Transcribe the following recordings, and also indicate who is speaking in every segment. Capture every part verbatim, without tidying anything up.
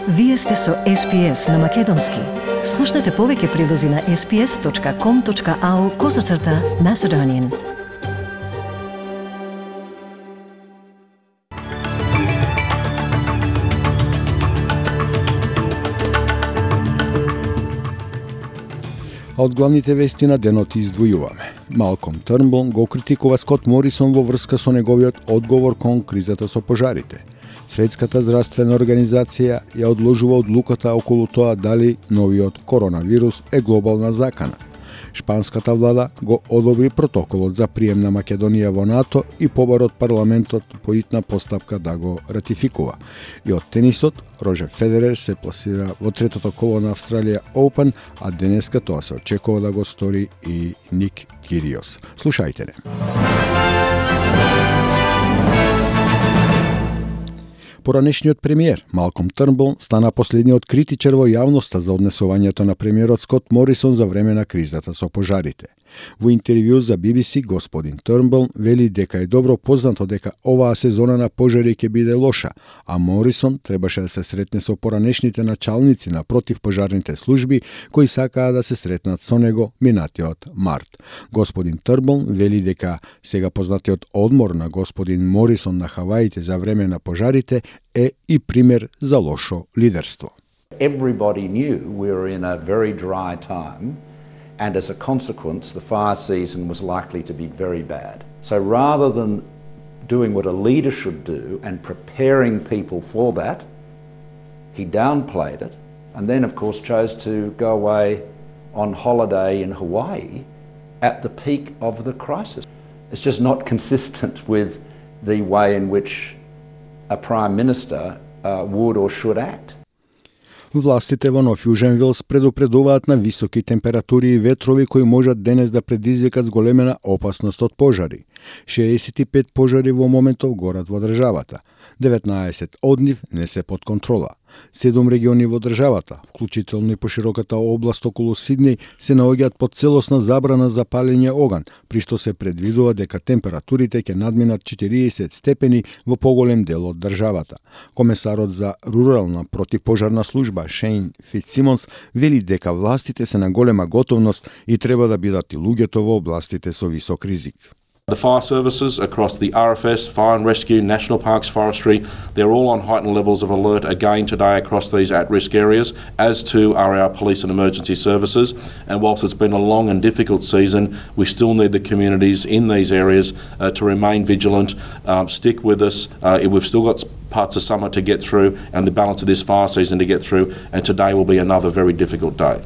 Speaker 1: Вие сте со Ес Пи Ес на Македонски. Слушнете повеќе прилози на ес пи ес точка ком точка ау козацрта Macedonian.
Speaker 2: А од главните вести на денот издвојуваме. Малком Трнбул го критикува Скот Морисон во врска со неговиот одговор кон кризата со пожарите. Светската здравствена организација ја одложува одлуката околу тоа дали новиот коронавирус е глобална закана. Шпанската влада го одобри протоколот за прием на Македонија во НАТО и побарот парламентот по итна постапка да го ратификува. И од тенисот, Роџер Федерер се пласира во третото коло на Австралија Open, а денеска тоа се очекува да го стори и Ник Кириос. Слушајте не. Поранешниот премиер Малком Трнбул стана последниот критичар во јавноста за однесувањето на премиерот Скот Морисон за време на кризата со пожарите. Во интервју за Би Би Си господин Трнбул вели дека е добро познато дека оваа сезона на пожари ќе биде лоша, а Морисон требаше да се сретне со поранешните началници на противпожарните служби кои сакаа да се сретнат со него минатиот март. Господин Трнбул вели дека сега познатиот одмор на господин Морисон на Хаваите за време на пожарите е и пример за лошо лидерство.
Speaker 3: Everybody knew we were in a very dry time. And as a consequence, the fire season was likely to be very bad. So rather than doing what a leader should do and preparing people for that, he downplayed it and then, of course, chose to go away on holiday in Hawaii at the peak of the crisis. It's just not consistent with the way in which a Prime Minister uh, would or should act.
Speaker 2: Властите во Нов Јужен Велс предупредуваат на високи температури и ветрови кои можат денес да предизвикат зголемена опасност од пожари. шеесет и пет пожари во моментов горат во државата. деветнаесет од нив не се под контрола. Седум региони во државата, вклучително и пошироката област околу Сиднеј, се наоѓаат под целосна забрана за палење оган, при што се предвидува дека температурите ќе надминат четириесет степени во поголем дел од државата. Комесарот за рурална противпожарна служба Шейн Фитсимонс вели дека властите се на голема готовност и треба да бидат и луѓето во областите со висок ризик.
Speaker 4: The fire services across the R F S, Fire and Rescue, National Parks, Forestry, they're all on heightened levels of alert again today across these at-risk areas, as too are our police and emergency services. And whilst it's been a long and difficult season, we still need the communities in these areas uh, to remain vigilant, um, stick with us. Uh, we've still got parts of summer to get through and the balance of this fire season to get through, and today will be another very difficult day.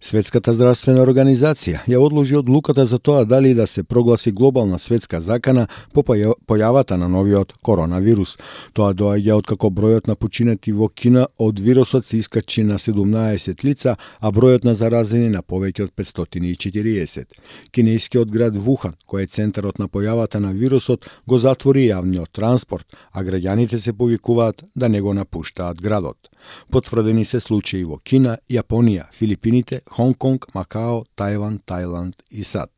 Speaker 2: Светската здравствена организација ја одложи одлуката за тоа дали да се прогласи глобална светска закана по појавата на новиот коронавирус. Тоа доаѓа откако бројот на починати во Кина од вирусот се искачи на седумнаесет лица, а бројот на заразени на повеќе од петстотини и четириесет. Кинескиот град Вухан, кој е центарот на појавата на вирусот, го затвори јавниот транспорт, а граѓаните се повикуваат да не го напуштаат градот. Потврдени се случаи во Кина, Јапонија, Филипините, Хонг-Конг, Макао, Тајван, Тајланд и САД.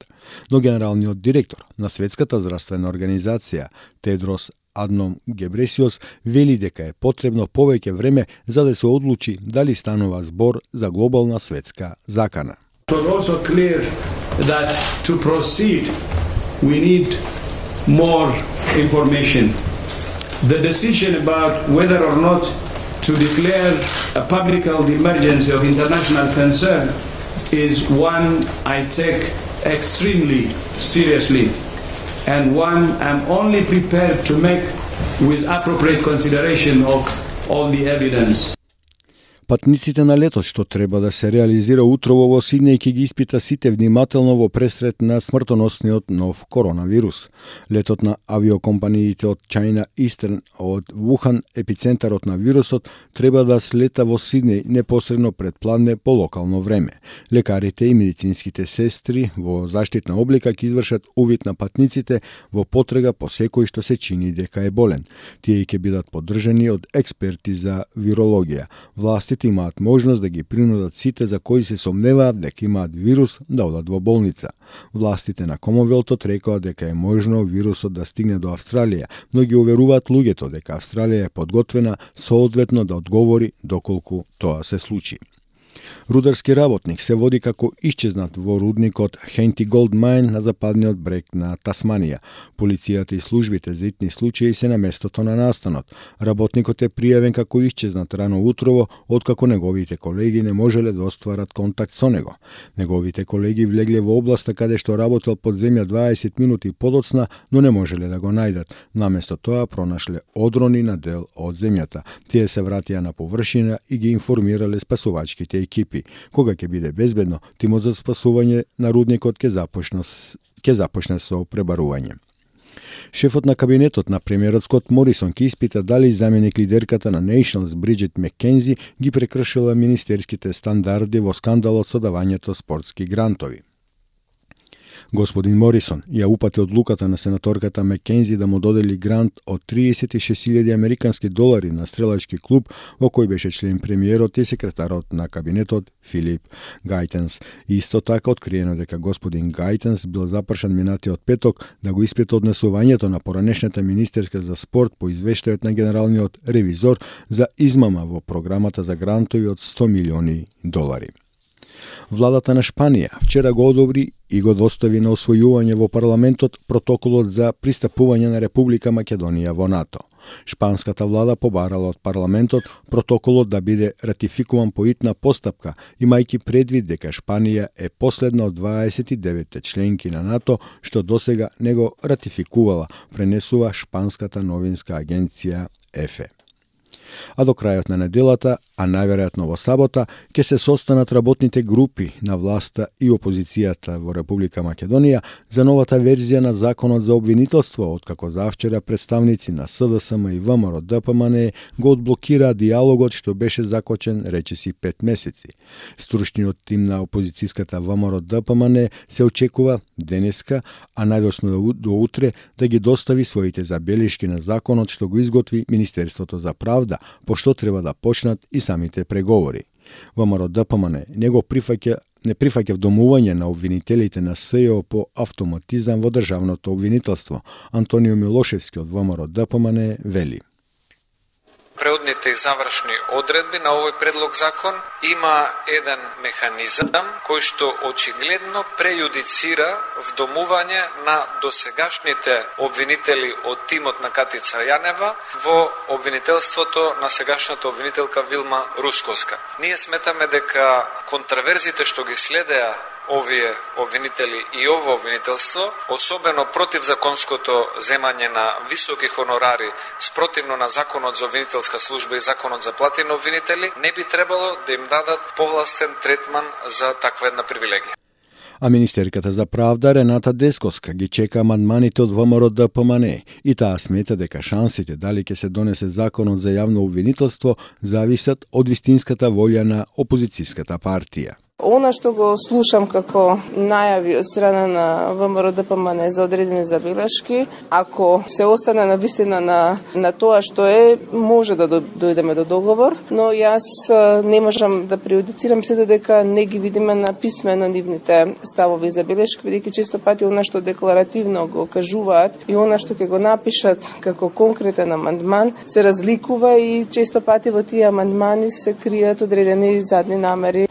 Speaker 2: Но генералниот директор на Светската здравствена организација Тедрос Адном Гебресиос вели дека е потребно повеќе време за да се одлучи дали станува збор за глобална светска закана.
Speaker 5: It was also clear that to proceed we need more information. The decision about whether or not to declare a public health emergency of international concern is one I take extremely seriously and one I'm only prepared to make with appropriate consideration of all the evidence.
Speaker 2: Патниците на летот што треба да се реализира утрово во Сиднеј ќе ги испита сите внимателно во пресрет на смртоносниот нов коронавирус. Летот на авиокомпаниите од China Eastern од Вухан, епицентарот на вирусот, треба да слета во Сиднеј непосредно пред пладне по локално време. Лекарите и медицинските сестри во заштитна облика ќе извршат увид на патниците во потрега по секој што се чини дека е болен. Тие ќе бидат поддржани од експерти за вирологија. Властите властите имаат можност да ги принудат сите за кои се сомневаат дека имаат вирус да одат во болница. Властите на Комонвелтот рекоа дека е можно вирусот да стигне до Австралија, но ги уверуваат луѓето дека Австралија е подготвена соодветно да одговори доколку тоа се случи. Рударски работник се води како исчезнат во рудникот Хенти Голд Мајн на западниот брег на Тасманија. Полицијата и службите за итни случаи се на местото на настанот. Работникот е пријавен како исчезнат рано утрово, откако неговите колеги не можеле да остварат контакт со него. Неговите колеги влегле во областа каде што работел под земја дваесет минути подоцна, но не можеле да го најдат. Наместо тоа пронашле одрони на дел од земјата. Тие се вратија на површина и ги информирале спасувачките екипи. Кога ќе биде безбедно, тимот за спасување на рудникот ќе започне, ќе започне со пребарување. Шефот на кабинетот на премиерот Скот Морисон ќе испита дали заменик лидерката на Nationals Бриджит Маккензи ги прекршила министерските стандарди во скандалот со давањето спортски грантови. Господин Морисон ја упати одлуката на сенаторката Маккензи да му додели грант од триесет и шест илјади американски долари на стрелачки клуб во кој беше член премиерот и секретарот на кабинетот Филип Гајтенс. Исто така откриено дека господин Гајтенс бил запрашан минатиот петок да го испита однесувањето на поранешната министерка за спорт по извештајот на генералниот ревизор за измама во програмата за грантови од сто милиони долари. Владата на Шпанија вчера го одобри и го достави на освојување во парламентот протоколот за пристапување на Република Македонија во НАТО. Шпанската влада побарала од парламентот протоколот да биде ратификуван по итна постапка, имајќи предвид дека Шпанија е последна од дваесет и деветте членки на НАТО што досега не го ратификувала, пренесува шпанската новинска агенција ЕФЕ. А до крајот на неделата, а најверојатно во сабота, ќе се состанат работните групи на власта и опозицијата во Република Македонија за новата верзија на законот за обвинителство, откако завчера представници на СДСМ и ВМРО ДПМН го одблокираа диалогот што беше закочен речиси пет месеци. Стручниот тим на опозицијската ВМРО ДПМН се очекува денеска, а најдосно до утре, да ги достави своите забелешки на законот што го изготви Министерството за правда, пошто треба да почнат и самите преговори. ВМРО ДПМН не го прифаќа не прифаќа вдомување на обвинителите на СЈО по автоматизам во државното обвинителство. Антонио Милошевски од ВМРО ДПМН вели:
Speaker 6: преодните и завршни одредби на овој предлог закон има еден механизам кој што очигледно прејудицира вдомување на досегашните обвинители од тимот на Катица Јанева во обвинителството на сегашната обвинителка Вилма Русковска. Ние сметаме дека контраверзите што ги следеа овие обвинители и ово обвинителство, особено против законското земање на високи хонорари, спротивно на законот за обвинителска служба и законот за плати на обвинители, не би требало да им дадат повластен третман за таква една привилегија.
Speaker 2: А министерката за правда Рената Десковска ги чека амандманите од ВМРО ДПМН и таа смета дека шансите дали ќе се донесе законот за јавно обвинителство зависат од вистинската волја на опозицијската партија.
Speaker 7: Она што го слушам како најави од страна на ВМРО ДПМН за одредени забелешки, ако се остане на вистина на, на тоа што е, може да дојдеме до договор, но јас не можам да прејудицирам се дека не ги видиме на писмено нивните ставови и забелешки, бидејќи често пати она што декларативно го кажуваат и она што ќе го напишат како конкретен амандман се разликува и често пати во тие амандмани се кријат одредени задни намери.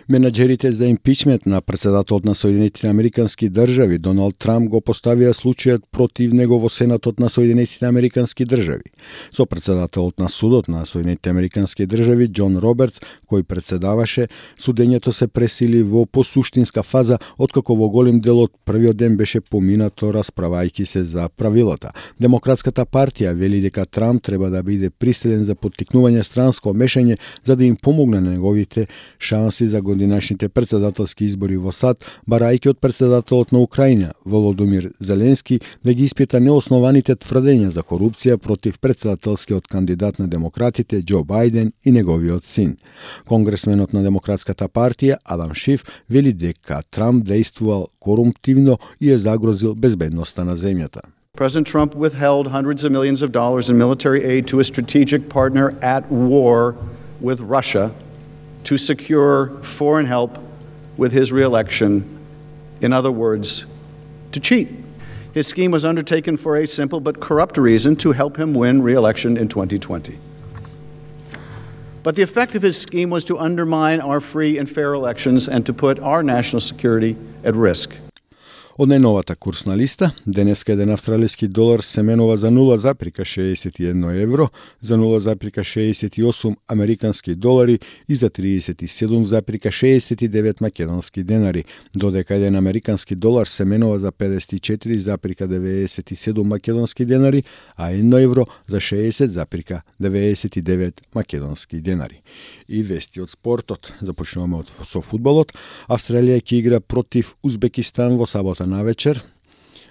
Speaker 2: Менаџерите за импичмент на председателот на Соединетите Американски држави Доналд Трамп го поставија случајот против него во Сенатот на Соединетите Американски држави. Со председателот на судот на Соединетите Американски држави Џон Робертс, кој председаваше, судењето се пресили во посуштинска фаза, откако во голем дел од првиот ден беше поминато расправајќи се за правилата. Демократската партија вели дека Трамп треба да биде приселен за поттикнување странско мешање за да им помогне на неговите шанси за годинашните председателски избори во САД, барајќи од председателот на Украина, Володомир Зеленски, да ги испита неоснованите тврдења за корупција против председателскиот кандидат на демократите Џо Бајден и неговиот син. Конгресменот на Демократската партија Адам Шиф вели дека Трамп действувал корумптивно и е загрозил безбедноста на земјата.
Speaker 8: President Trump withheld hundreds of millions of dollars in military aid to a strategic partner at war with Russia to secure foreign help with his re-election. In other words, to cheat. His scheme was undertaken for a simple but corrupt reason, to help him win re-election in twenty twenty. But the effect of his scheme was to undermine our free and fair elections and to put our national security at risk.
Speaker 2: Од најновата курсна листа, денеска еден австралиски долар се менува за нула запирка шеесет и едно евро, за нула запирка шеесет и осум американски долари и за триесет и седум запирка шеесет и девет македонски денари, додека еден американски долар се менува за педесет и четири запирка деветдесет и седум македонски денари, а едно евро за шеесет запирка деветдесет и девет македонски денари. И вести од спортот. Започнуваме од со фудбалот. Австралија ќе игра против Узбекистан во сабота навечер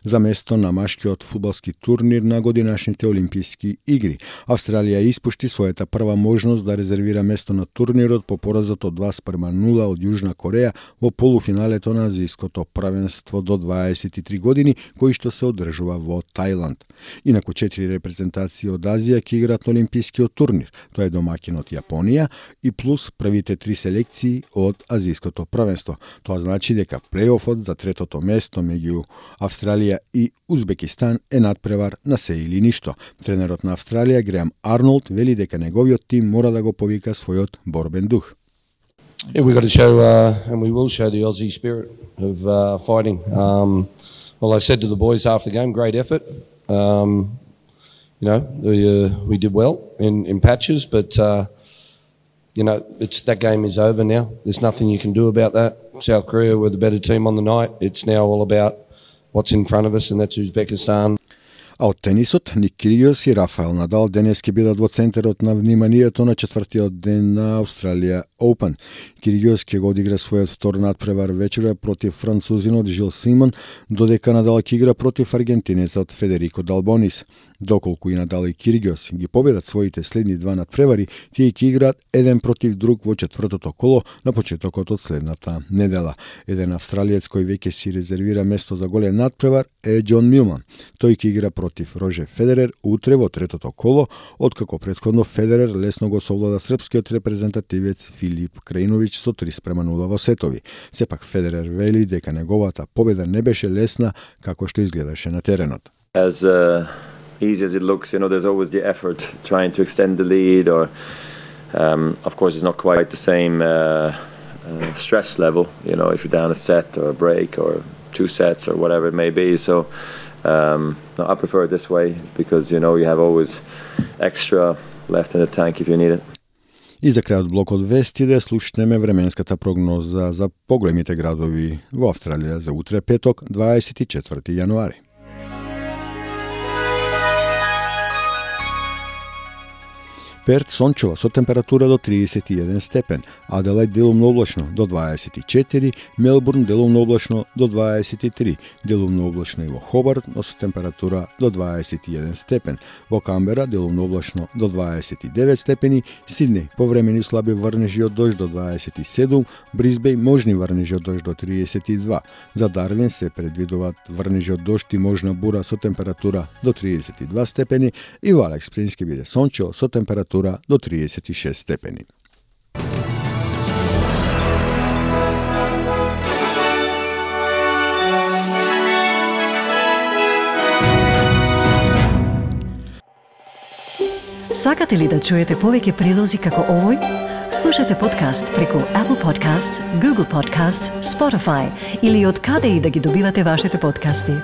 Speaker 2: за место на машкиот фудбалски турнир на годинашните Олимписки игри. Австралија испушти својата прва можност да резервира место на турнирот по поразот од два спрема нула од Јужна Кореја во полуфиналето на азијското првенство до дваесет и три години, кој што се одржува во Тајланд. Инаку четири репрезентации од Азија ќе играат на Олимпискиот турнир. Тоа е домакинот Јапонија и плюс првите три селекции од азијското првенство. Тоа значи дека плејофот за третото место меѓу Австралија и Узбекистан е надпревар на се или ништо. Тренерот на Австралија Греам Арнолд вели дека неговиот тим мора да го повика својот борбен дух.
Speaker 9: Yeah, we got to show, uh, and we will show the Aussie spirit of uh, fighting. Um, well, I said to the boys after the game, great effort. Um, you know, we, uh, we did well in, in patches, but uh, you know, it's that game is over now. There's nothing you can do about that. South Korea were the better team on the night. It's now all about what's in front of us, and that's Uzbekistan.
Speaker 2: А од тенисот, Ник Кириос и Рафаел Надал денес ќе бидат во центарот на вниманието на четвртиот ден на Australia Open. Кириос ќе го одигра својот втор надпревар вечера против французинот Жил Симон, додека Надал ќе игра против аргентинецот Федерико Далбонис. Доколку и Надал и Кириос ги победат своите следни два надпревари, тие ќе играат еден против друг во четвртото коло на почетокот од следната недела. Еден австралиец кој веќе си резервира место за голем надпревар е Џон Милман. Тој ќе игра против Рожер Федерер утре во третото коло, откако претходно Федерер лесно го совлада српскиот репрезентативец Филип Крајновиќ со три спрема нула во сетови. Сепак Федерер вели дека неговата победа не беше лесна како што изгледаше на теренот.
Speaker 10: As uh, easy as it looks, you know, there's always the effort trying to extend the lead, or um, of course it's not quite the same uh, uh, stress level, you know, if you're down a set or a break or two sets or whatever it may be. So um, no, I prefer it this way because, you know, you have always extra left in the tank if you need it.
Speaker 2: И за крајот блокот вести да слушнеме временската прогноза за поголемите градови во Австралија за утре петок, дваесет и четврти јануари. Перт сончево со температура до триесет и еден степен, Аделајд делумно облачно до дваесет и четири, Мелбурн делумно облачно до дваесет и три, делумно облачно и во Хобарт, но со температура до дваесет и еден степен, во Камбера делумно облачно до дваесет и девет степени, Сиднеј повремени слаби врнежи од дожд до дваесет и седум, Брисбеј можни врнежи од дожд до триесет и два, за Дарвин се предвидуваат врнежи од дожд и можна бура со температура до триесет и два степени и во Алекс Плейнс ќе биде сончево со температура до триесет и шест степени.
Speaker 1: Сакате ли да чуете повеќе прилози како овој? Слушате подкаст преку Apple Podcasts, Google Podcasts, Spotify или од каде и да ги добивате вашите подкасти.